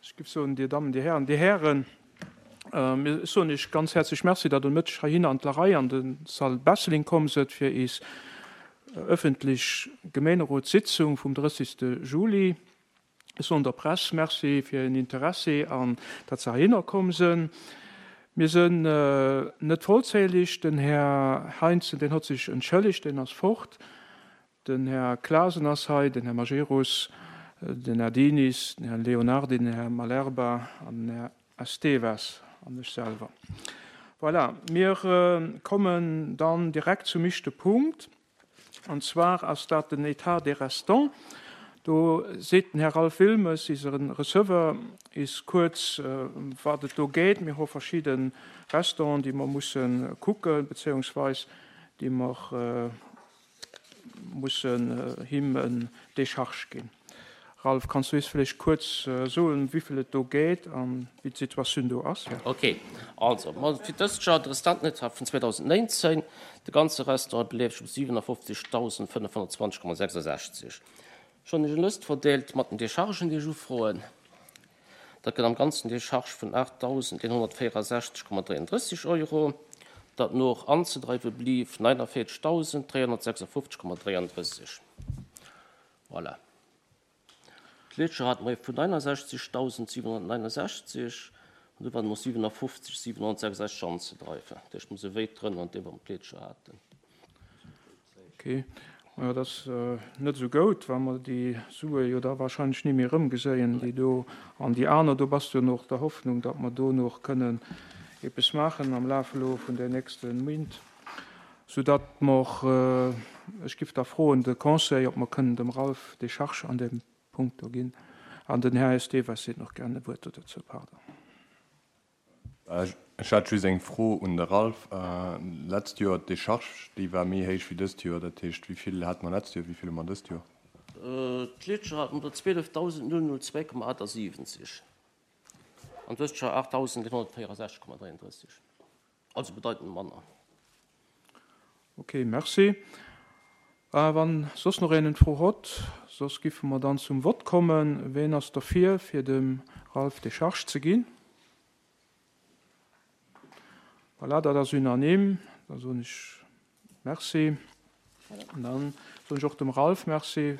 Ech géif soen, Dir Dammen, Dir Hären, Dir Hären, mir soen Iech ganz häerzlech Merci, datt Der Mëtteg heihinner an d'Larei an de Salle Besseling komm sëtt fir is öffentlech Gemeenerotssitzung vum 30. Juli. Ech soen der Press Merci fir hiren Interessi an datt se heihinner komm sënn. Mir sënn net vollzählig. Den Här Heinzen, deen hott sech entschëllegt, deen ass fort. Den Här Clasen ass hei, den Här Majerus, den Här Dinis, den Här Leonardi, den Här Malerba an den Här Estevez an ech selwer. Voilà, mir kommen dann direkt zum ischte Punkt, an zwar ass dat den État des restants. Do seet den Här Ralph Wilmes, iseren Receveur, is kuerz, wat et do geet. Mir hu verschidde Restants, déi mer musse kucken, bezéiungsweis déi mer mussen him en Décharge ginn. Ralph, kanns du is vläicht kuerz soen, wivill et do geet an wéi d'Situatioun do ass? Ok, also ma fir dëst Joer, de Restantenetat vun 2019, de ganze Restant beleeft sech op 57.520,66. Ech hunn iech eng Lëst verdeelt mat den Déchargen, déi ech ufroen. Dat gëtt am Ganzen Décharge vun 8.164,33 Euro, dat no och anzedreiwe blief 49.356,33. Voilà. D'Letzcht Joer hate mer ee vun 69.769 an do waren och 57.766 anzedreiwen. Dat heescht, mer si wéit drënner an deem, wat mer d'Letzcht Joer haten. Ok, majo dat ass net esou goud, well mer déi Sue jo da wahrscheinlech ni méi erëmgeséien, déi do an déi aner. Do bass du jo och der Hoffnung, datt mer do nach kënnen eppes maachen am Laf elo vun den nächste Méint, soudatt mer, ech giff da froen de Conseil, ob mer kënnen dem Ralph Décharge an deem Punkt do ginn. An den Här Estevez seet nach gern e Wuert do dozou, pardon. Ech hat just eng Fro un de Ralph. Letzt Joer d'Décharge, déi war méi héich wéi dëst Joer. Dat heescht, wéi vill hate mer letzt Joer, wéi vill hu mer dëst Joer? D'lescht Joer hate mer der 12.002,78 an dëst Joer 8.164,33, also bedeitend manner. Ok, merci. Wann soss nach een en Fro hott, soss giffe mer dann zum Vott kommen. Ween ass derfir, fir dem Ralph Décharge ze ginn? Voilà, dat ass unanime. Da soen ech Merci. An dann soen ech och dem Ralph Merci.